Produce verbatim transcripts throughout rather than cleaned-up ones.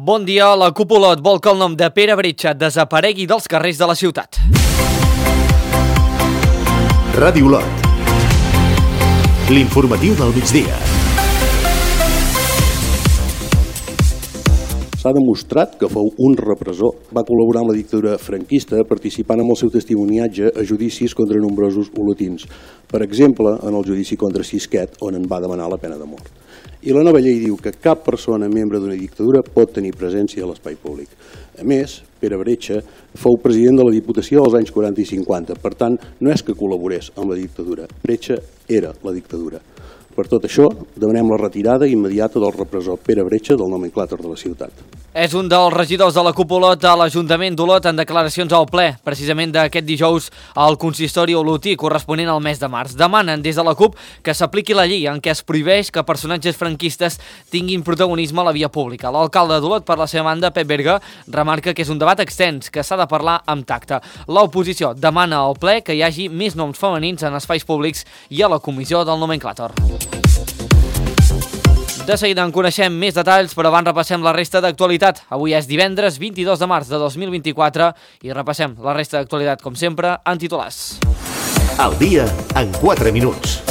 Bon dia, la Cúpula vol que el nom de Pere Bretxa desaparegui dels carrers de la ciutat. Ràdio Olot. L'informatiu del migdia. S'ha demostrat que fou un repressor. Va col·laborar amb la dictadura franquista participant amb el seu testimoniatge a judicis contra nombrosos olotins. Per exemple, en el judici contra Sisquet, on en va demanar la pena de mort. I la nova llei diu que cap persona membre d'una dictadura pot tenir presència a l'espai públic. A més, Pere Bretxa fou president de la Diputació als anys quaranta i cinquanta. Per tant, no és que col·laborés amb la dictadura. Bretxa era la dictadura. Per tot això, demanem la retirada immediata del repressor Pere Bretxa del nomenclàtor de la ciutat. És un dels regidors de la Cúpula a l'Ajuntament d'Olot en declaracions al ple, precisament d'aquest dijous al consistori olotí corresponent al mes de març. Demanen des de la CUP que s'apliqui la llei en què es prohibeix que personatges franquistes tinguin protagonisme a la via pública. L'alcalde d'Olot, per la seva banda, Pep Berga, remarca que és un debat extens, que s'ha de parlar amb tacte. L'oposició demana al ple que hi hagi més noms femenins en espais públics i a la comissió del nomenclàtor. De seguida en coneixem més detalls, però abans repassem la resta d'actualitat. Avui és divendres vint-i-dos de març de dos mil vint-i-quatre i repassem la resta d'actualitat, com sempre, en titulars. Al dia en quatre minuts.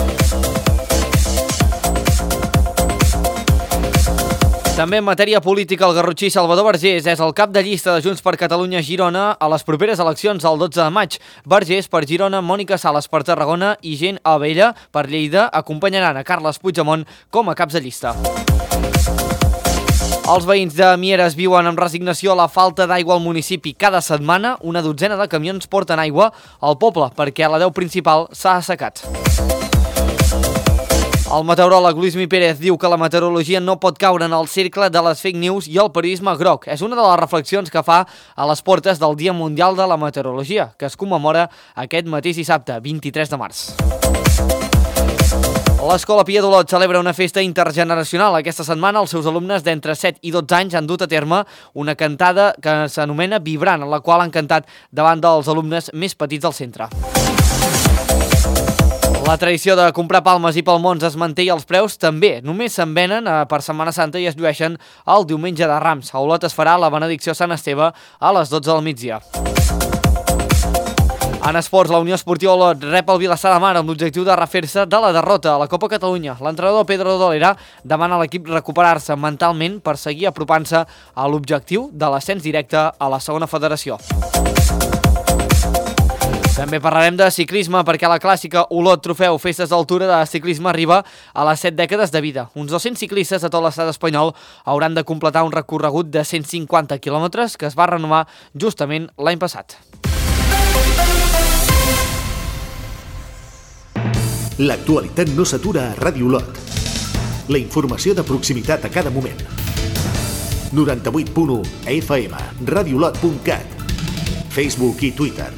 També en matèria política, el garrotxí Salvador Vergés és el cap de llista de Junts per Catalunya a Girona a les properes eleccions el dotze de maig. Vergés per Girona, Mònica Sales per Tarragona i Gent Abella per Lleida acompanyaran a Carles Puigdemont com a caps de llista. Els veïns de Mieres viuen amb resignació la falta d'aigua al municipi. Cada setmana, una dotzena de camions porten aigua al poble perquè la deu principal s'ha assecat. El meteoròleg Luismi Pérez diu que la meteorologia no pot caure en el cercle de les fake news i el periodisme groc. És una de les reflexions que fa a les portes del Dia Mundial de la Meteorologia, que es commemora aquest mateix dissabte, vint-i-tres de març. L'Escola Pia d'Olot celebra una festa intergeneracional. Aquesta setmana els seus alumnes d'entre set i dotze anys han dut a terme una cantada que s'anomena Vibrant, en la qual han cantat davant dels alumnes més petits del centre. La tradició de comprar palmes i palmons es manté i els preus també. Només se'n venen per Setmana Santa i es llueixen el diumenge de Rams. A Olot es farà la benedicció Sant Esteve a les dotze del migdia. En esports, la Unió Esportiva Olot rep el Vilassar de Mar amb l'objectiu de refer-se de la derrota a la Copa Catalunya. L'entrenador Pedro Dolera demana a l'equip recuperar-se mentalment per seguir apropant-se a l'objectiu de l'ascens directe a la segona federació. També parlarem de ciclisme perquè la clàssica Olot Trofeu Festes d'Altura de ciclisme arriba a les set dècades de vida. Uns dos-cents ciclistes de tot l'estat espanyol hauran de completar un recorregut de cent cinquanta quilòmetres que es va renovar justament l'any passat. L'actualitat no s'atura a Ràdio Olot. La informació de proximitat a cada moment. noranta-vuit punt u F M, radiolot punt cat, Facebook i Twitter.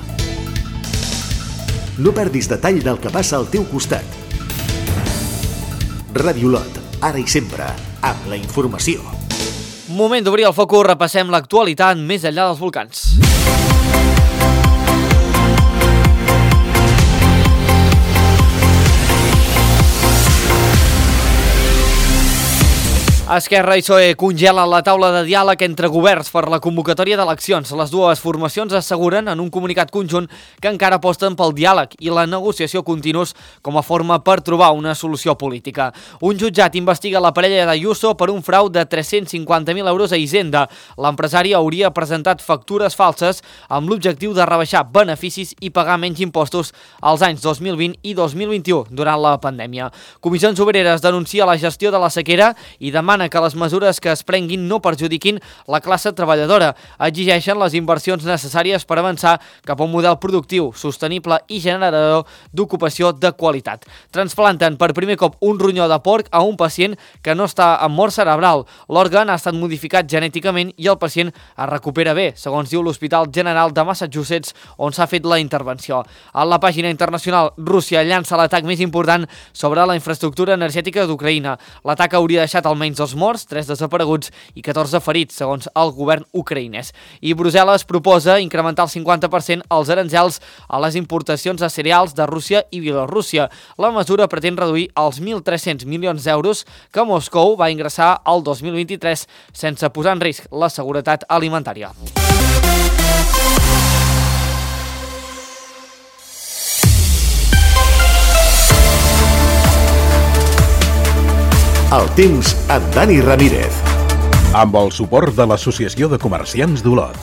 No perdis detall del que passa al teu costat. Ràdio Olot, ara i sempre, amb la informació. Moment d'obrir el focus, repassem l'actualitat més enllà dels volcans. Esquerra i P S O E congelen la taula de diàleg entre governs per la convocatòria d'eleccions. Les dues formacions asseguren en un comunicat conjunt que encara aposten pel diàleg i la negociació continus com a forma per trobar una solució política. Un jutjat investiga la parella d'Ayuso per un frau de tres-cents cinquanta mil euros a Hisenda. L'empresari hauria presentat factures falses amb l'objectiu de rebaixar beneficis i pagar menys impostos als anys dos mil vint i dos mil vint-i-u durant la pandèmia. Comissions Obreres denuncia la gestió de la sequera i demana que les mesures que es prenguin no perjudiquin la classe treballadora. Exigeixen les inversions necessàries per avançar cap a un model productiu, sostenible i generador d'ocupació de qualitat. Transplanten per primer cop un ronyó de porc a un pacient que no està en mort cerebral. L'òrgan ha estat modificat genèticament i el pacient es recupera bé, segons diu l'Hospital General de Massachusetts, on s'ha fet la intervenció. A la pàgina internacional, Rússia llança l'atac més important sobre la infraestructura energètica d'Ucraïna. L'atac hauria deixat almenys dos dos morts, tres desapareguts i catorze ferits, segons el govern ucraïnès. I Brussel·les proposa incrementar el cinquanta per cent els aranzels a les importacions de cereals de Rússia i Bielorússia. La mesura pretén reduir els mil tres-cents milions d'euros que Moscou va ingressar el dos mil vint-i-tres sense posar en risc la seguretat alimentària. El temps amb Dani Ramírez. Amb el suport de l'Associació de Comerciants d'Olot.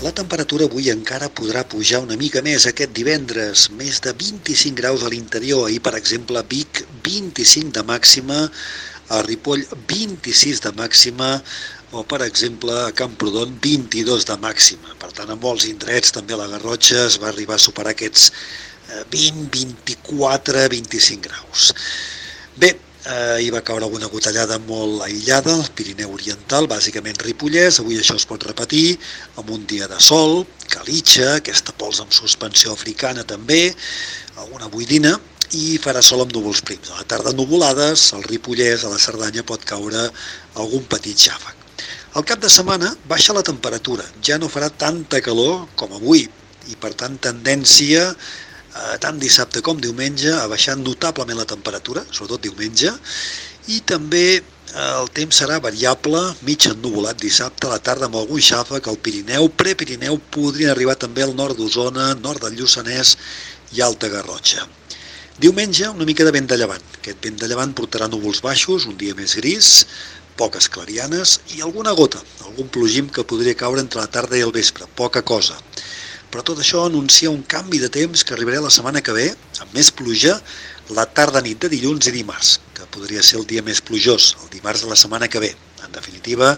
La temperatura avui encara podrà pujar una mica més aquest divendres, més de vint-i-cinc graus a l'interior. Ahir, per exemple, a Vic, vint-i-cinc de màxima, a Ripoll, vint-i-sis de màxima, o, per exemple, a Camprodon, vint-i-dos de màxima. Per tant, a molts indrets, també a la Garrotxa, es va arribar a superar aquests vint, vint-i-quatre, vint-i-cinc graus. Bé, eh, hi va caure alguna gotellada molt aïllada al Pirineu Oriental, bàsicament Ripollès. Avui això es pot repetir amb un dia de sol, calitxa, aquesta pols amb suspensió africana també, alguna boirina, i farà sol amb núvols prims. A la tarda nuvolades, al Ripollès, a la Cerdanya pot caure algun petit xàfec. Al cap de setmana baixa la temperatura, ja no farà tanta calor com avui i per tant tendència tant dissabte com diumenge a baixar notablement la temperatura, sobretot diumenge, i també el temps serà variable, mig ennuvolat dissabte, a la tarda amb algun xàfec al Pirineu, Prepirineu, podrien arribar també al nord d'Osona, nord del Lluçanès i Alta Garrotxa. Diumenge, una mica de vent de llevant. Aquest vent de llevant portarà núvols baixos, un dia més gris, poques clarianes i alguna gota, algun plogim que podria caure entre la tarda i el vespre, poca cosa. Però tot això anuncia un canvi de temps que arribarà la setmana que ve, amb més pluja, la tarda-nit de dilluns i dimarts, que podria ser el dia més plujós, el dimarts de la setmana que ve. En definitiva,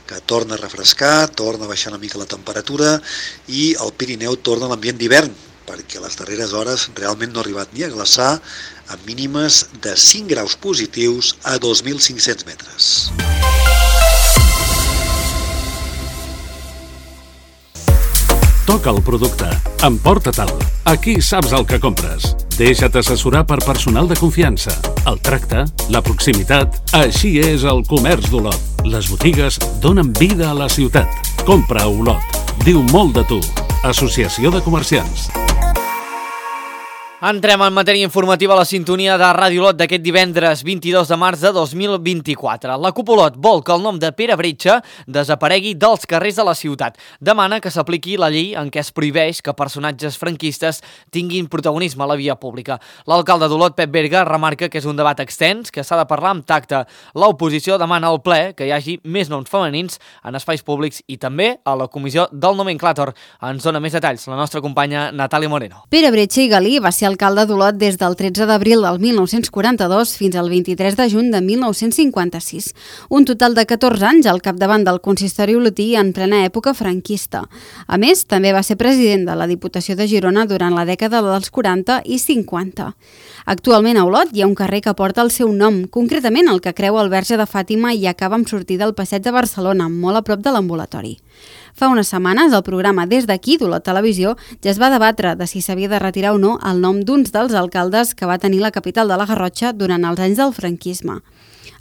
que torna a refrescar, torna a baixar una mica la temperatura i el Pirineu torna a l'ambient d'hivern, perquè a les darreres hores realment no ha arribat ni a glaçar, amb mínimes de cinc graus positius a dos mil cinc-cents metres. Toca el producte, emporta-te'l. Aquí saps el que compres. Deixa't assessorar per personal de confiança. El tracte, la proximitat, així és el comerç d'Olot. Les botigues donen vida a la ciutat. Compra a Olot. Diu molt de tu. Associació de Comerciants. Entrem en matèria informativa a la sintonia de Ràdio Olot d'aquest divendres vint-i-dos de març de dos mil vint-i-quatre. La CUP Olot vol que el nom de Pere Bretxa desaparegui dels carrers de la ciutat. Demana que s'apliqui la llei en què es prohibeix que personatges franquistes tinguin protagonisme a la via pública. L'alcalde d'Olot, Pep Berga, remarca que és un debat extens, que s'ha de parlar amb tacte. L'oposició demana al ple que hi hagi més noms femenins en espais públics i també a la comissió del nomenclàtor. Ens dona més detalls la nostra companya Natàlia Moreno. Pere Bretxa i Galí va ser alcalde d'Olot des del tretze d'abril del mil nou-cents quaranta-dos fins al vint-i-tres de juny de mil nou-cents cinquanta-sis. Un total de catorze anys al capdavant del consistori olotí en plena època franquista. A més, també va ser president de la Diputació de Girona durant la dècada dels quaranta i cinquanta. Actualment a Olot hi ha un carrer que porta el seu nom, concretament el que creua el Verge de Fàtima i acaba amb sortida al Passeig de Barcelona, molt a prop de l'ambulatori. Fa unes setmanes, el programa Des d'aquí d'Olot Televisió ja es va debatre de si s'havia de retirar o no el nom d'uns dels alcaldes que va tenir la capital de la Garrotxa durant els anys del franquisme.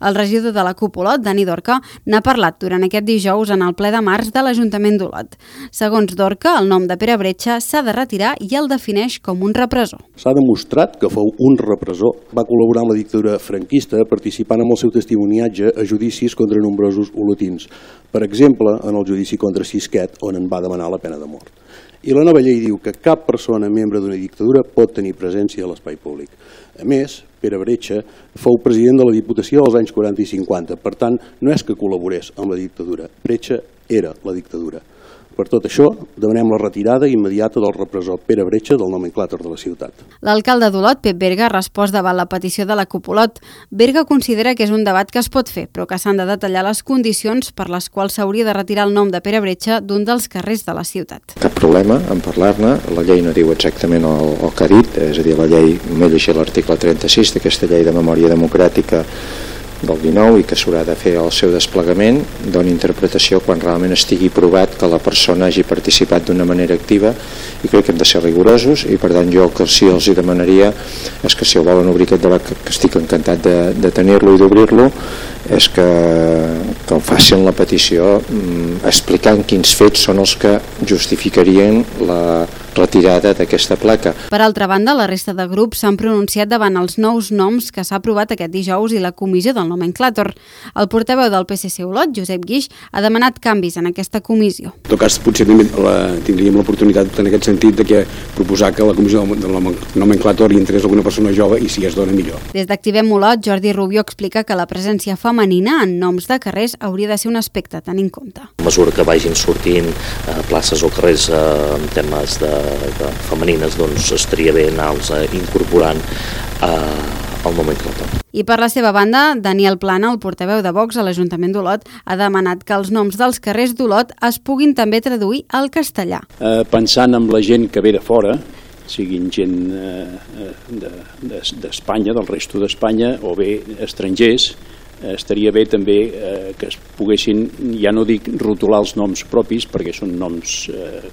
El regidor de la CUP Olot, Dani Dorca, n'ha parlat durant aquest dijous en el ple de març de l'Ajuntament d'Olot. Segons Dorca, el nom de Pere Bretxa s'ha de retirar i el defineix com un repressor. S'ha demostrat que fou un repressor. Va col·laborar amb la dictadura franquista participant amb el seu testimoniatge a judicis contra nombrosos olotins. Per exemple, en el judici contra Sisquet, on en va demanar la pena de mort. I la nova llei diu que cap persona membre d'una dictadura pot tenir presència a l'espai públic. A més, Pere Bretxa fou president de la Diputació als anys quaranta i cinquanta, per tant, no és que col·laborés amb la dictadura, Bretxa era la dictadura. Per tot això, demanem la retirada immediata del repressor Pere Bretxa del nomenclàtor de la ciutat. L'alcalde d'Olot, Pep Berga, ha respost davant la petició de la CUP Olot. Berga considera que és un debat que es pot fer, però que s'han de detallar les condicions per les quals s'hauria de retirar el nom de Pere Bretxa d'un dels carrers de la ciutat. Cap problema en parlar-ne, la llei no diu exactament el, el que ha dit, és a dir, la llei, només llegir l'article trenta-sis d'aquesta llei de memòria democràtica, del dinou i que s'haurà de fer el seu desplegament, doni interpretació quan realment estigui provat que la persona hagi participat d'una manera activa, i crec que hem de ser rigorosos, i per tant jo el que sí els hi demanaria és que si el volen obrir aquest debat, que estic encantat de, de tenir-lo i d'obrir-lo, és que, que facin la petició mm, explicant quins fets són els que justificarien la retirada d'aquesta placa. Per altra banda, la resta de grups s'han pronunciat davant els nous noms que s'ha aprovat aquest dijous i la comissió del nomenclàtor. El portaveu del P S C Olot, Josep Guix, ha demanat canvis en aquesta comissió. En tot cas, potser la, tindríem l'oportunitat en aquest sentit de que proposar que la comissió del nomenclàtor hi entrés alguna persona jove i si es dona millor. Des d'Activem Olot, Jordi Rubio explica que la presència femenina en noms de carrers hauria de ser un aspecte a tenir en compte. A mesura que vagin sortint eh, places o carrers eh, en temes de, de femenines, doncs estaria bé anar-los eh, incorporant eh, al nomenclàtor. I per la seva banda, Daniel Plana, el portaveu de Vox a l'Ajuntament d'Olot, ha demanat que els noms dels carrers d'Olot es puguin també traduir al castellà. Eh, pensant en la gent que ve de fora, siguin gent eh, d'Espanya, de, del resto d'Espanya, o bé estrangers, eh, estaria bé també eh, que es poguessin, ja no dic rotular els noms propis, perquè són noms... Eh,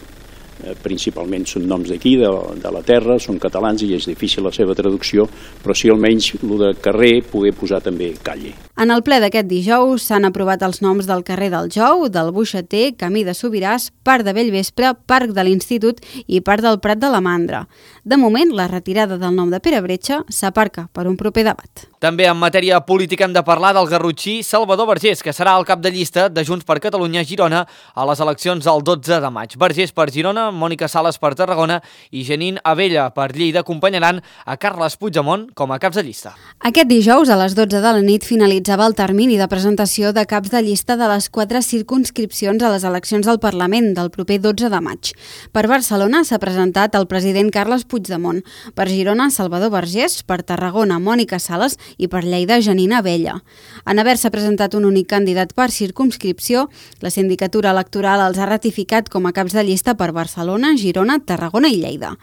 principalment són noms d'aquí, de, de la terra, són catalans i és difícil la seva traducció, però sí almenys el de carrer poder posar també calle. En el ple d'aquest dijous s'han aprovat els noms del carrer del Jou, del Buixater, Camí de Sobiràs, Parc de Bellvespre, Parc de l'Institut i Parc del Prat de la Mandra. De moment, la retirada del nom de Pere Bretxa s'aparca per un proper debat. També en matèria política hem de parlar del garrotxí Salvador Vergés, que serà el cap de llista de Junts per Catalunya a Girona a les eleccions del dotze de maig. Vergés per Girona, Mònica Sales per Tarragona i Janine Abella per Lleida acompanyaran a Carles Puigdemont com a caps de llista. Aquest dijous a les dotze de la nit finalitzava el termini de presentació de caps de llista de les quatre circumscripcions a les eleccions del Parlament del proper dotze de maig. Per Barcelona s'ha presentat el president Carles Puigdemont, per Girona Salvador Vergés, per Tarragona Mònica Sales i per Lleida Janine Abella. En haver-se presentat un únic candidat per circumscripció, la sindicatura electoral els ha ratificat com a caps de llista per Barcelona, Girona, Tarragona i Lleida.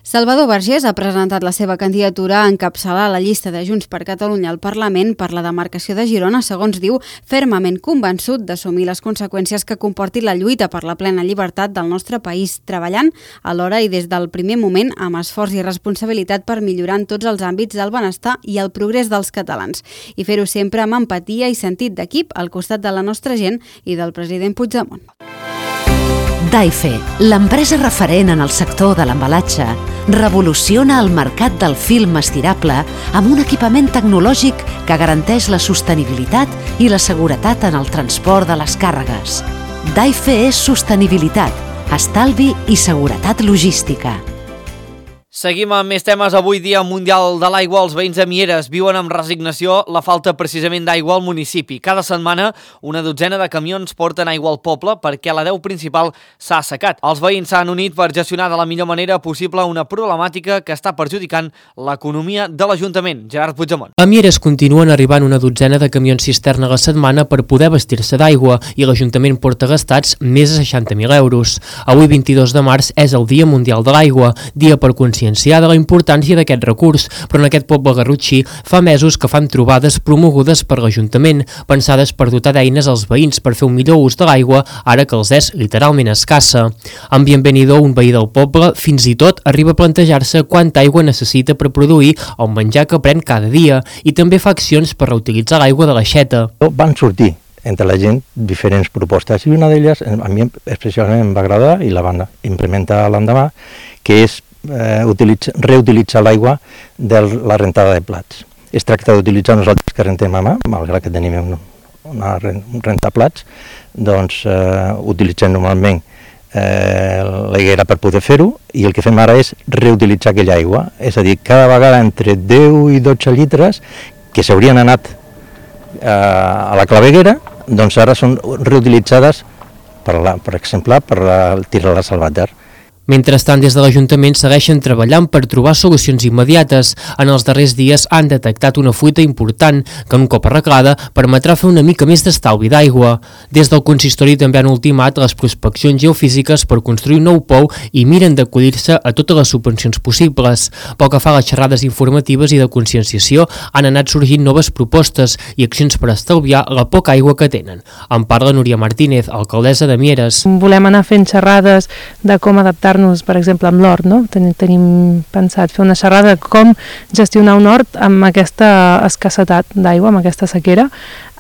Salvador Vergés ha presentat la seva candidatura a encapçalar la llista de Junts per Catalunya al Parlament per la demarcació de Girona, segons diu, fermament convençut d'assumir les conseqüències que comporti la lluita per la plena llibertat del nostre país, treballant alhora i des del primer moment amb esforç i responsabilitat per millorar en tots els àmbits del benestar i el progrés dels catalans, i fer-ho sempre amb empatia i sentit d'equip al costat de la nostra gent i del president Puigdemont. Daife, l'empresa referent en el sector de l'embalatge, revoluciona el mercat del film estirable amb un equipament tecnològic que garanteix la sostenibilitat i la seguretat en el transport de les càrregues. Daife és sostenibilitat, estalvi i seguretat logística. Seguim amb més temes. Avui dia mundial de l'aigua. Els veïns de Mieres viuen amb resignació la falta precisament d'aigua al municipi. Cada setmana una dotzena de camions porten aigua al poble perquè la deu principal s'ha assecat. Els veïns s'han unit per gestionar de la millor manera possible una problemàtica que està perjudicant l'economia de l'Ajuntament. Gerard Puigdemont. A Mieres continuen arribant una dotzena de camions cisterna a la setmana per poder vestir-se d'aigua i l'Ajuntament porta gastats més de seixanta mil euros. Avui, vint-i-dos de març, és el Dia Mundial de l'Aigua, dia per conscienciar de la importància d'aquest recurs, però en aquest poble garrotxí fa mesos que fan trobades promogudes per l'Ajuntament, pensades per dotar d'eines als veïns per fer un millor ús de l'aigua, ara que els és literalment escassa. En Bienvenido, un veí del poble, fins i tot arriba a plantejar-se quanta aigua necessita per produir el menjar que pren cada dia i també fa accions per reutilitzar l'aigua de l'aixeta. Van sortir entre la gent diferents propostes i una d'elles a mi especialment em va agradar i la van implementar l'endemà, que és eh, utilitza, reutilitzar l'aigua de la rentada de plats. Es tracta d'utilitzar nosaltres que rentem a mà, malgrat que tenim un, una rentaplats, doncs eh, utilitzem normalment eh, la higuera per poder fer-ho i el que fem ara és reutilitzar aquella aigua, és a dir, cada vegada entre deu i dotze litres que s'haurien anat eh, a la claveguera, doncs ara són reutilitzades, per, la, per exemple, per la, tirar-les al vàter. Mentrestant, des de l'Ajuntament segueixen treballant per trobar solucions immediates. En els darrers dies han detectat una fuita important que, un cop arreglada, permetrà fer una mica més d'estalvi d'aigua. Des del consistori també han ultimat les prospeccions geofísiques per construir un nou pou i miren d'acollir-se a totes les subvencions possibles. Pel que fa a les xerrades informatives i de conscienciació, han anat sorgint noves propostes i accions per estalviar la poca aigua que tenen. En parla Núria Martínez, alcaldessa de Mieres. Volem anar fent xerrades de com adaptar-nos, per exemple, amb l'hort, no? Ten tenim pensat fer una xerrada de com gestionar un hort amb aquesta escassetat d'aigua, amb aquesta sequera.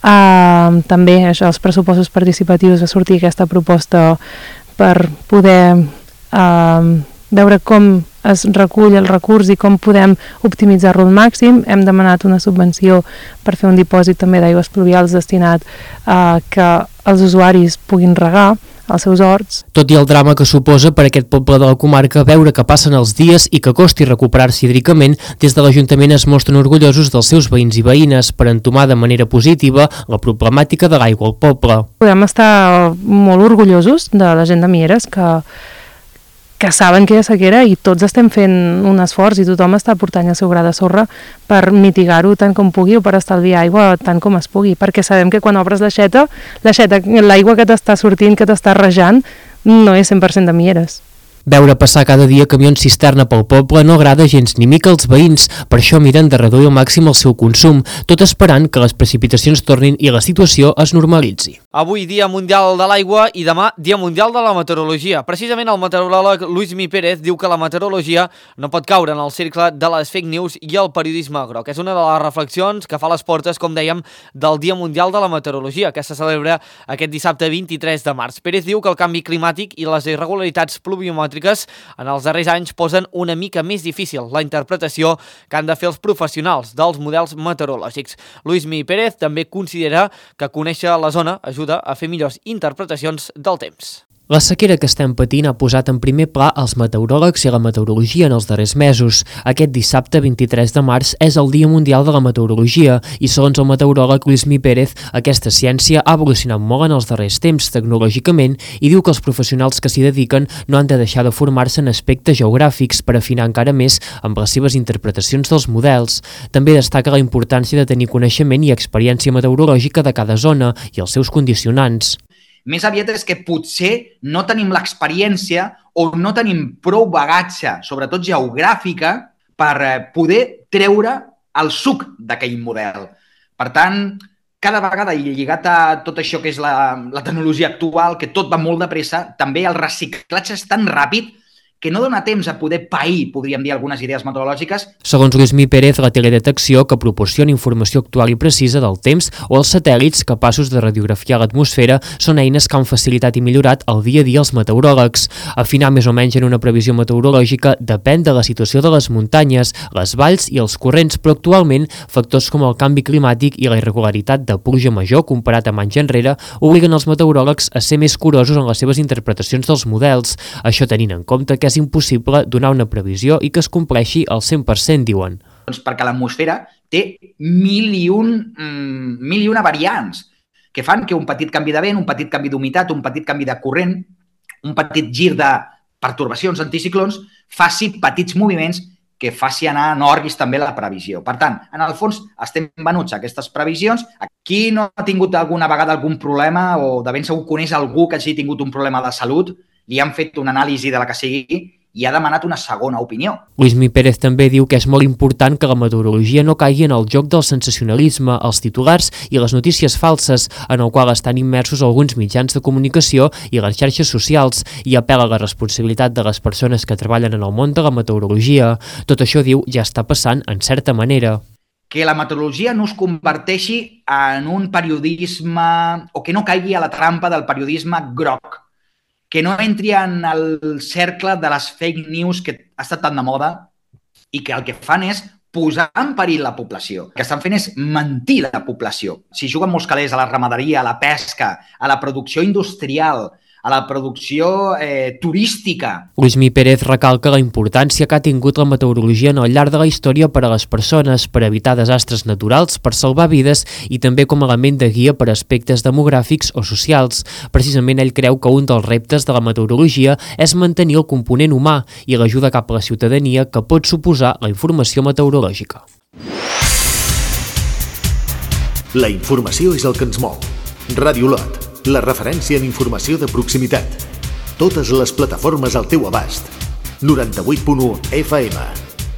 Uh, també això, els pressupostos participatius, va sortir aquesta proposta per poder uh, veure com es recull el recurs i com podem optimitzar-lo al màxim. Hem demanat una subvenció per fer un dipòsit també d'aigües pluvials destinat a que els usuaris puguin regar als seus horts. Tot i el drama que suposa per aquest poble de la comarca veure que passen els dies i que costi recuperar-se hídricament, des de l'Ajuntament es mostren orgullosos dels seus veïns i veïnes per entomar de manera positiva la problemàtica de l'aigua al poble. Podem estar molt orgullosos de la gent de Mieres que que saben que hi ha sequera i tots estem fent un esforç i tothom està portant el seu gra de sorra per mitigar-ho tant com pugui o per estalviar aigua tant com es pugui, perquè sabem que quan obres l'aixeta, l'aixeta, l'aigua que t'està sortint, que t'està rejant, no és cent per cent de Mieres. Veure passar cada dia camions cisterna pel poble no agrada gens ni mica als veïns, per això miren de reduir al màxim el seu consum, tot esperant que les precipitacions tornin i la situació es normalitzi. Avui Dia Mundial de l'Aigua i demà Dia Mundial de la Meteorologia. Precisament el meteoròleg Luismi Pérez diu que la meteorologia no pot caure en el cercle de les fake news i el periodisme groc. És una de les reflexions que fa a les portes, com dèiem, del Dia Mundial de la Meteorologia, que se celebra aquest dissabte vint-i-tres de març. Pérez diu que el canvi climàtic i les irregularitats pluviomètriques en els darrers anys posen una mica més difícil la interpretació que han de fer els professionals dels models meteorològics. Luismi Pérez també considera que conèixer la zona ajuda a fer millors interpretacions del temps. La sequera que estem patint ha posat en primer pla els meteoròlegs i la meteorologia en els darrers mesos. Aquest dissabte vint-i-tres de març és el Dia Mundial de la Meteorologia i segons el meteoròleg Luismi Pérez, aquesta ciència ha evolucionat molt en els darrers temps tecnològicament i diu que els professionals que s'hi dediquen no han de deixar de formar-se en aspectes geogràfics per afinar encara més amb les seves interpretacions dels models. També destaca la importància de tenir coneixement i experiència meteorològica de cada zona i els seus condicionants. Més aviat és que potser no tenim l'experiència o no tenim prou bagatge, sobretot geogràfica, per poder treure el suc d'aquell model. Per tant, cada vegada, i lligat a tot això que és la, la tecnologia actual, que tot va molt de pressa, també el reciclatge és tan ràpid que no dona temps a poder pair, podríem dir, algunes idees meteorològiques. Segons Luismi Pérez, la teledetecció, que proporciona informació actual i precisa del temps, o els satèl·lits capaços de radiografiar l'atmosfera, són eines que han facilitat i millorat el dia a dia als meteoròlegs. Afinar més o menys en una previsió meteorològica depèn de la situació de les muntanyes, les valls i els corrents, però actualment factors com el canvi climàtic i la irregularitat de pluja major comparat amb anys enrere obliguen els meteoròlegs a ser més curosos en les seves interpretacions dels models. Això tenint en compte que és impossible donar una previsió i que es compleixi al cent per cent, diuen. Doncs perquè l'atmosfera té mil i, un, mm, mil i una variants que fan que un petit canvi de vent, un petit canvi d'humitat, un petit canvi de corrent, un petit gir de pertorbacions, anticiclons, faci petits moviments que faci anar en òrbies també la previsió. Per tant, en el fons, estem venuts a aquestes previsions. Qui no ha tingut alguna vegada algun problema o de ben segur coneix algú que hagi tingut un problema de salut, li han fet una anàlisi de la que sigui i ha demanat una segona opinió. Luismi Pérez també diu que és molt important que la meteorologia no caigui en el joc del sensacionalisme, els titulars i les notícies falses, en el qual estan immersos alguns mitjans de comunicació i les xarxes socials, i apel·la a la responsabilitat de les persones que treballen en el món de la meteorologia. Tot això, diu, ja està passant en certa manera. Que la meteorologia no es converteixi en un periodisme o que no caigui a la trampa del periodisme groc, que no entri en el cercle de les fake news que ha estat tan de moda i que el que fan és posar en perill la població. El que estan fent és mentir la població. Si juguen molts calés a la ramaderia, a la pesca, a la producció industrial, a la producció eh, turística. Luismi Pérez recalca la importància que ha tingut la meteorologia en el llarg de la història per a les persones, per evitar desastres naturals, per salvar vides i també com a element de guia per a aspectes demogràfics o socials. Precisament ell creu que un dels reptes de la meteorologia és mantenir el component humà i l'ajuda cap a la ciutadania que pot suposar la informació meteorològica. La informació és el que ens mou. Ràdio Lot, la referència en informació de proximitat. Totes les plataformes al teu abast. noranta-vuit punt u F M,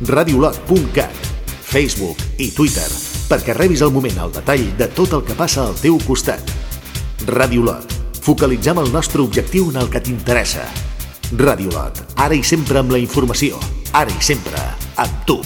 radiolot punt cat, Facebook i Twitter, perquè rebis al moment el detall de tot el que passa al teu costat. Ràdio Lot, focalitzem el nostre objectiu en el que t'interessa. Ràdio Lot, ara i sempre amb la informació, ara i sempre amb tu.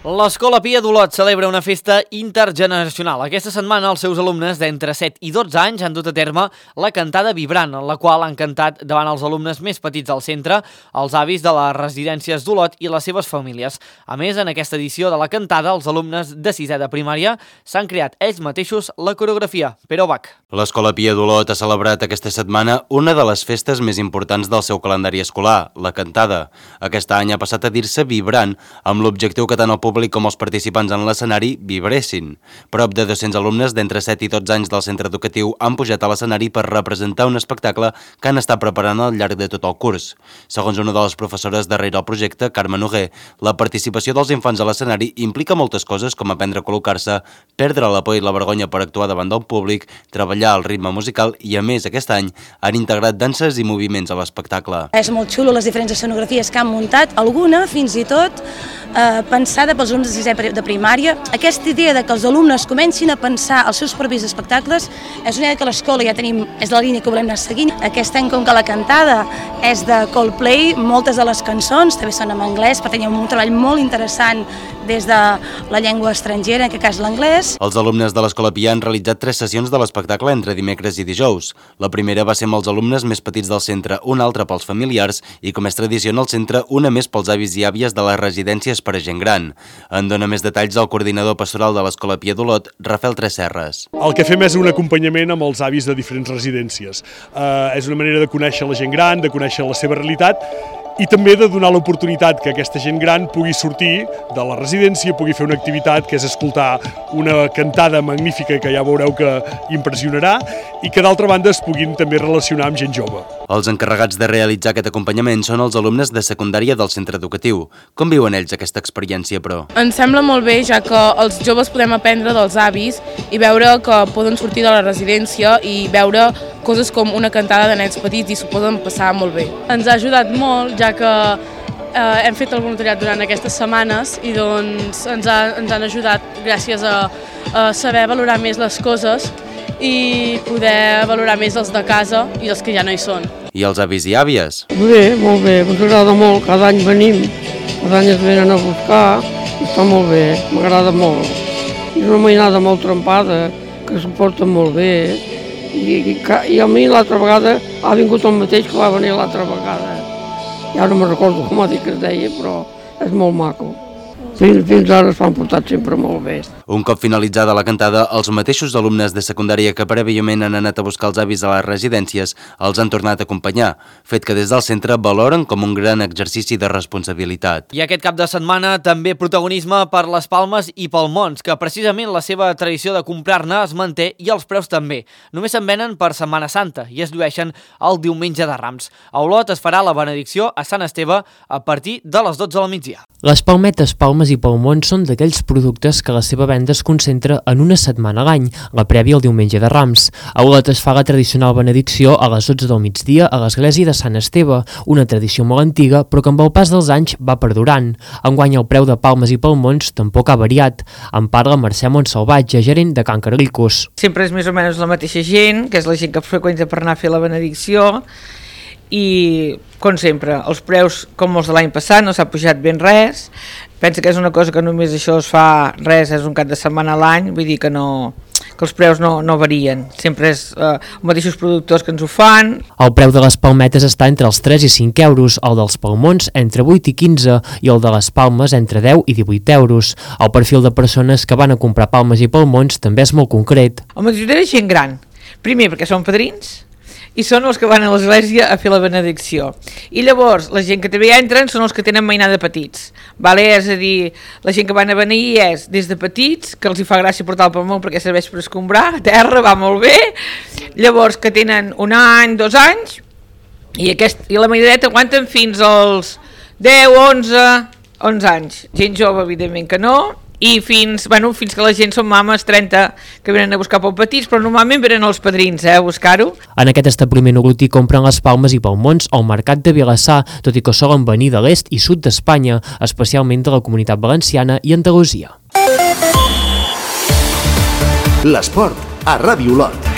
L'Escola Pia d'Olot celebra una festa intergeneracional. Aquesta setmana els seus alumnes d'entre set i dotze anys han dut a terme la cantada Vibrant, en la qual han cantat davant els alumnes més petits del centre, els avis de les residències d'Olot i les seves famílies. A més, en aquesta edició de la cantada, els alumnes de sisè de primària s'han creat ells mateixos la coreografia. Pere Bach. L'Escola Pia d'Olot ha celebrat aquesta setmana una de les festes més importants del seu calendari escolar, la cantada. Aquest any ha passat a dir-se Vibrant, amb l'objectiu que tant el públic com els participants en l'escenari vibressin. Prop de dos-cents alumnes d'entre set i dotze anys del centre educatiu han pujat a l'escenari per representar un espectacle que han estat preparant al llarg de tot el curs. Segons una de les professores darrere el projecte, Carme Noguer, la participació dels infants a l'escenari implica moltes coses com aprendre a col·locar-se, perdre la por i la vergonya per actuar davant del públic, treballar el ritme musical i, a més, aquest any han integrat danses i moviments a l'espectacle. És molt xulo les diferents escenografies que han muntat, alguna fins i tot eh, pensada pels alumnes de sisè de primària. Aquesta idea de que els alumnes comencin a pensar els seus propis espectacles és una idea que a l'escola ja tenim, és la línia que volem anar seguint. Aquest any, com que la cantada és de Coldplay, moltes de les cançons també són en anglès, per tenir un treball molt interessant des de la llengua estrangera, en aquest cas l'anglès. Els alumnes de l'Escola Pia han realitzat tres sessions de l'espectacle entre dimecres i dijous. La primera va ser amb els alumnes més petits del centre, una altra pels familiars i, com és tradició en el centre, una més pels avis i àvies de les residències per a gent gran. En dona més detalls el coordinador pastoral de l'Escola Pia d'Olot, Rafael Tresserres. El que fem és un acompanyament amb els avis de diferents residències. Uh, és una manera de conèixer la gent gran, de conèixer la seva realitat i també de donar l'oportunitat que aquesta gent gran pugui sortir de la residència, pugui fer una activitat que és escoltar una cantada magnífica que ja veureu que impressionarà i que d'altra banda es puguin també relacionar amb gent jove. Els encarregats de realitzar aquest acompanyament són els alumnes de secundària del centre educatiu. Com viuen ells aquesta experiència, però? Ens sembla molt bé, ja que els joves podem aprendre dels avis i veure que poden sortir de la residència i veure coses com una cantada de nens petits i s'ho poden passar molt bé. Ens ha ajudat molt, ja que eh, hem fet el voluntariat durant aquestes setmanes i doncs ens, ha, ens han ajudat gràcies a, a saber valorar més les coses i poder valorar més els de casa i els que ja no hi són. I els avis i àvies? Bé, molt bé, ens agrada molt, cada any venim, cada any es venen a buscar i està molt bé, m'agrada molt. És una mainada molt trempada, que s'ho porta molt bé i, i, i a mi l'altra vegada ha vingut el mateix que va venir l'altra vegada. Ja no me'n recordo com ha dit que es deia, però és molt maco. Fins, fins ara s'han portat sempre molt bé. Un cop finalitzada la cantada, els mateixos alumnes de secundària que prèviament han anat a buscar els avis a les residències els han tornat a acompanyar, fet que des del centre valoren com un gran exercici de responsabilitat. I aquest cap de setmana també protagonisme per les Palmes i pel Mons, que precisament la seva tradició de comprar-ne es manté i els preus també. Només se'n venen per Setmana Santa i es llueixen el diumenge de Rams. A Olot es farà la benedicció a Sant Esteve a partir de les dotze del migdia. Les palmetes, palmes i palmons són d'aquells productes que la seva venda es concentra en una setmana a l'any, la prèvia al diumenge de Rams. A Olot es fa la tradicional benedicció a les dotze del migdia a l'església de Sant Esteve, una tradició molt antiga però que amb el pas dels anys va perdurant. Enguany el preu de palmes i palmons tampoc ha variat. En parla Mercè Montsalvatge, gerent de Can Carlicus. Sempre és més o menys la mateixa gent, que és la gent que freqüenta per anar a fer la benedicció, i com sempre, els preus com els de l'any passat, no s'ha pujat ben res. Pensa que és una cosa que només això es fa res, és un cap de setmana a l'any, vull dir que no, que els preus no, no varien, sempre és eh, els mateixos productors que ens ho fan. El preu de les palmetes està entre els tres i cinc euros, el dels palmons entre vuit i quinze i el de les palmes entre deu i divuit euros. El perfil de persones que van a comprar palmes i palmons també és molt concret. La majoria és gent gran, Primer, perquè són padrins, i són els que van a l'església a fer la benedicció. I llavors, la gent que també hi entren són els que tenen mainada de petits. Vale? És a dir, la gent que van a beneir és des de petits, que els hi fa gràcia portar el palmó perquè serveix per escombrar, a terra, va molt bé. Llavors, que tenen un any, dos anys, i, aquest, i la mainadeta aguanten fins als deu, onze, onze anys. Gent jove, evidentment que no, i fins, bueno, fins que la gent són mames trenta que venen a buscar pel petits, però normalment venen els padrins eh, a buscar-ho. En aquest establiment olotí compren les palmes i palmons al mercat de Vilassar, tot i que solen venir de l'est i sud d'Espanya, especialment de la Comunitat Valenciana i Andalusia. L'esport a Ràdio Olot.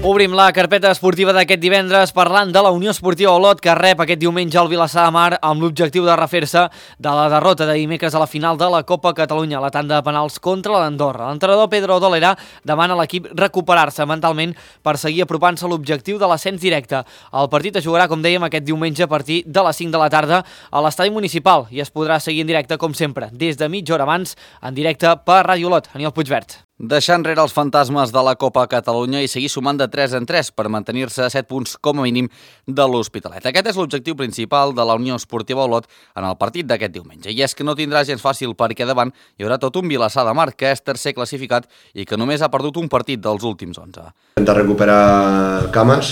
Obrim la carpeta esportiva d'aquest divendres parlant de la Unió Esportiva Olot, que rep aquest diumenge al Vilassar de Mar amb l'objectiu de refer-se de la derrota de dimecres a la final de la Copa Catalunya, la tanda de penals contra l'Andorra. L'entrenador Pedro Dolera demana a l'equip recuperar-se mentalment per seguir apropant-se a l'objectiu de l'ascens directe. El partit es jugarà, com dèiem, aquest diumenge a partir de les cinc de la tarda a l'estadi municipal i es podrà seguir en directe, com sempre, des de mitja hora abans, en directe per Ràdio Olot. Aniol Puigvert. Deixar enrere els fantasmes de la Copa Catalunya i seguir sumant de tres en tres per mantenir-se a set punts com a mínim de l'Hospitalet. Aquest és l'objectiu principal de la Unió Esportiva Olot en el partit d'aquest diumenge. I és que no tindrà gens fàcil perquè davant hi haurà tot un Vilassar de Mar, que és tercer classificat i que només ha perdut un partit dels últims onze. Intentar recuperar cames,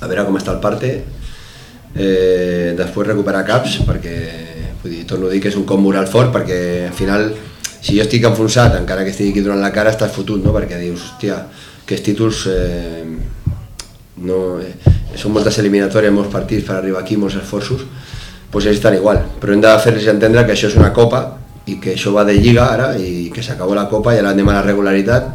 a veure com està el parte, eh, després recuperar caps, perquè vull dir, torno a dir que és un cop moral fort, perquè al final si jo estic enfonsat, encara que estigui aquí durant la cara, estàs fotut, no? Perquè dius, hòstia, aquests títols eh, no, eh, són moltes eliminatòries, molts partits per arribar aquí, molts esforços, doncs ells estan igual, però hem de fer-los entendre que això és una copa i que això va de lliga ara i que s'acabó la copa i ara anem a la regularitat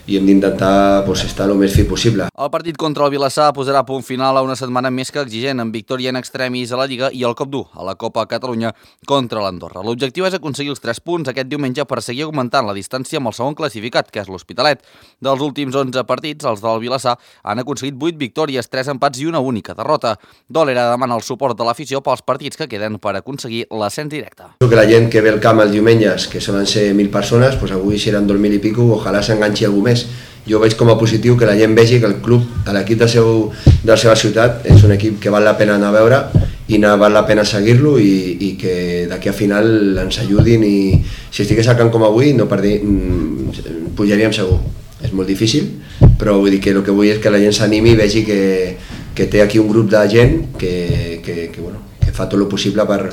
i hem d'intentar pues, estar el més fi possible. El partit contra el Vilassar posarà punt final a una setmana més que exigent, amb victòria en extremis a la Lliga i el cop dur a la Copa Catalunya contra l'Andorra. L'objectiu és aconseguir els tres punts aquest diumenge per seguir augmentant la distància amb el segon classificat, que és l'Hospitalet. Dels últims onze partits, els del Vilassar han aconseguit vuit victòries, tres empats i una única derrota. Dolera demana el suport de l'afició pels partits que queden per aconseguir l'ascens directe. Que la gent que ve al camp els diumenges, que solen ser mil persones, pues avui seran dos mil i pico, ojalà s'enganxi algú més. Jo veig com a positiu que la gent vegi que el club, l'equip de, seu, de la seva ciutat, és un equip que val la pena anar a veure i no val la pena seguir-lo i, i que d'aquí a final ens ajudin i si estigués al camp com avui no perdi, pujaríem segur. És molt difícil, però vull dir que el que vull és que la gent s'animi i vegi que, que té aquí un grup de gent que, que, que, bueno, que fa tot el possible per,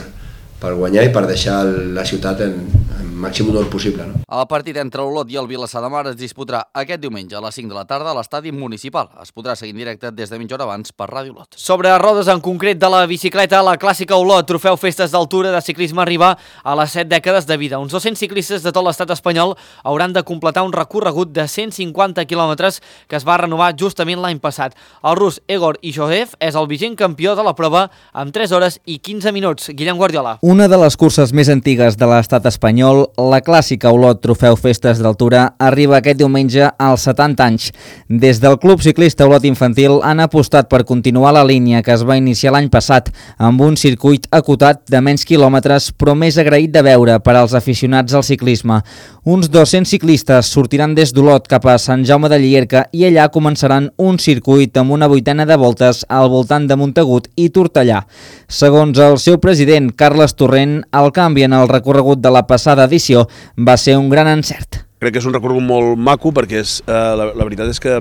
per guanyar i per deixar la ciutat en, en màxim honor possible. No? El partit entre Olot i el Vilassar de Mar es disputarà aquest diumenge a les cinc de la tarda a l'estadi municipal. Es podrà seguir en directe des de mitja hora abans per Ràdio Olot. Sobre rodes en concret de la bicicleta, la clàssica Olot, trofeu Festes d'Altura de ciclisme arriba a les set dècades de vida. Uns dos-cents ciclistes de tot l'estat espanyol hauran de completar un recorregut de cent cinquanta quilòmetres que es va renovar justament l'any passat. El rus Egor Ishoev és el vigent campió de la prova amb tres hores i quinze minuts. Guillem Guardiola. Una de les curses més antigues de l'estat espanyol, la clàssica Olot Trofeu Festes d'Altura, arriba aquest diumenge als setanta anys. Des del Club Ciclista Olot Infantil han apostat per continuar la línia que es va iniciar l'any passat amb un circuit acotat de menys quilòmetres però més agraït de veure per als aficionats al ciclisme. Uns dos-cents ciclistes sortiran des d'Olot cap a Sant Jaume de Llierca i allà començaran un circuit amb una vuitena de voltes al voltant de Montagut i Tortellà. Segons el seu president, Carles Torrent, el canvi en el recorregut de la passada edició va ser un gran encert. Crec que és un recorregut molt maco perquè és, eh, la, la veritat és que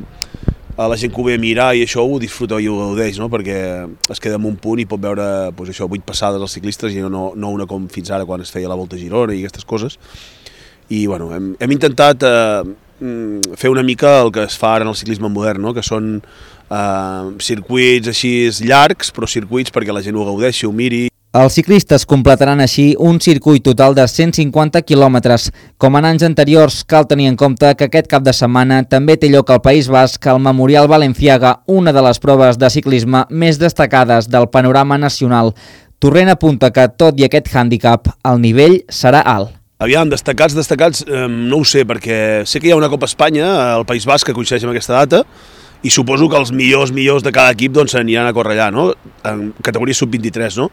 la gent que ho ve a mirar i això ho disfruta i ho gaudeix, no? Perquè es queda en un punt i pot veure pues, això, vuit passades als ciclistes i no, no una com fins ara quan es feia la Volta a Girona i aquestes coses. I bueno, hem, hem intentat eh, fer una mica el que es fa ara en el ciclisme modern, no? Que són eh, circuits així llargs, però circuits perquè la gent ho gaudeixi, ho miri. Els ciclistes completaran així un circuit total de cent cinquanta quilòmetres. Com en anys anteriors, cal tenir en compte que aquest cap de setmana també té lloc al País Basc el Memorial Balenciaga, una de les proves de ciclisme més destacades del panorama nacional. Torrent apunta que, tot i aquest hàndicap, el nivell serà alt. Aviam, destacats, destacats, eh, no ho sé, perquè sé que hi ha una Copa Espanya al País Basc que coincideix amb aquesta data i suposo que els millors millors de cada equip doncs, aniran a córrer allà, no? En categoria sub vint-i-tres, no?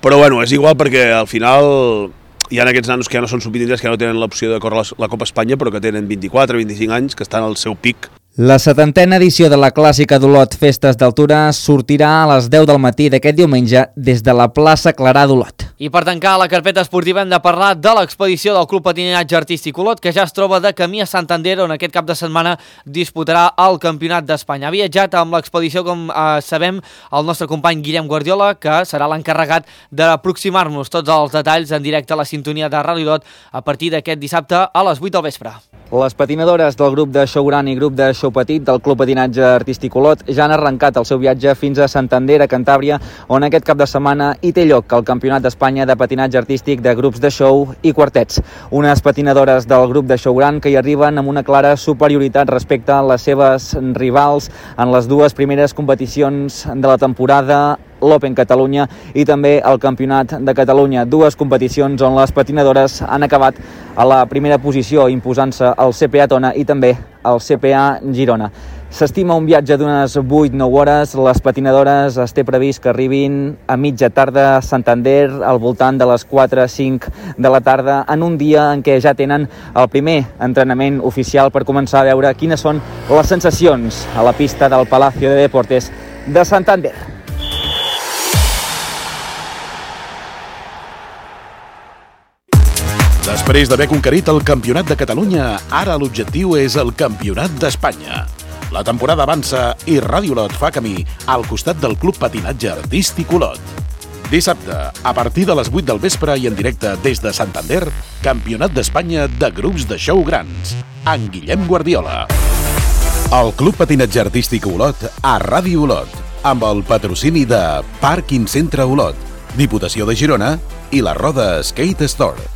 Però bueno, és igual perquè al final hi ha aquests nanos que ja no són sub vint-i-tres, que ja no tenen l'opció de córrer la Copa Espanya, però que tenen vint-i-quatre, vint-i-cinc anys, que estan al seu pic. La setantena edició de la clàssica d'Olot Festes d'Altura sortirà a les deu del matí d'aquest diumenge des de la plaça Clarà d'Olot. I per tancar la carpeta esportiva hem de parlar de l'expedició del Club Patinatge Artístic Olot, que ja es troba de camí a Santander, on aquest cap de setmana disputarà el Campionat d'Espanya. Ha viatjat amb l'expedició, com eh, sabem, el nostre company Guillem Guardiola, que serà l'encarregat d'aproximar-nos tots els detalls en directe a la sintonia de Ràdio Olot a partir d'aquest dissabte a les vuit del vespre. Les patinadores del grup de Show Gran i grup de Show Petit del Club Patinatge Artístic Olot ja han arrencat el seu viatge fins a Santander, a Cantàbria, on aquest cap de setmana hi té lloc el Campionat d'Espanya de patinatge artístic de grups de show i quartets. Unes patinadores del grup de Show Gran que hi arriben amb una clara superioritat respecte a les seves rivals en les dues primeres competicions de la temporada, l'Open Catalunya i també el Campionat de Catalunya. Dues competicions on les patinadores han acabat a la primera posició, imposant-se el C P A Tona i també el C P A Girona. S'estima un viatge d'unes vuit a nou hores. Les patinadores es té previst que arribin a mitja tarda a Santander al voltant de les quatre o cinc de la tarda, en un dia en què ja tenen el primer entrenament oficial per començar a veure quines són les sensacions a la pista del Palacio de Deportes de Santander. Després d'haver conquerit el Campionat de Catalunya, ara l'objectiu és el Campionat d'Espanya. La temporada avança i Ràdio Olot fa camí al costat del Club Patinatge Artístic Olot. Dissabte, a partir de les vuit del vespre i en directe des de Santander, Campionat d'Espanya de grups de show grans, amb Guillem Guardiola. El Club Patinatge Artístic Olot a Ràdio Olot, amb el patrocini de Parking Centre Olot, Diputació de Girona i la Roda Skate Store.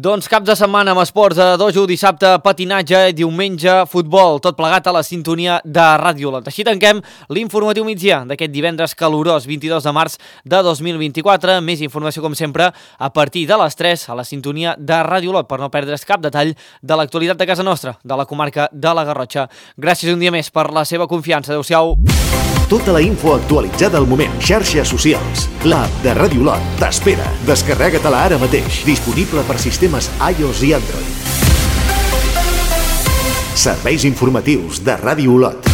Doncs cap de setmana amb esports a dojo, dissabte patinatge, diumenge futbol, tot plegat a la sintonia de Ràdio Olot. Així tanquem l'informatiu migdia d'aquest divendres calorós vint-i-dos de març de dos mil vint-i-quatre. Més informació com sempre a partir de les tres a la sintonia de Ràdio Olot per no perdre's cap detall de l'actualitat de casa nostra, de la comarca de la Garrotxa. Gràcies un dia més per la seva confiança. Adéu-siau. Tota la info actualitzada al moment. Xarxes socials. L'app de Ràdio Olot t'espera. Descarrega-te-la ara mateix. Disponible per sistemes iOS i Android. Serveis informatius de Ràdio Olot.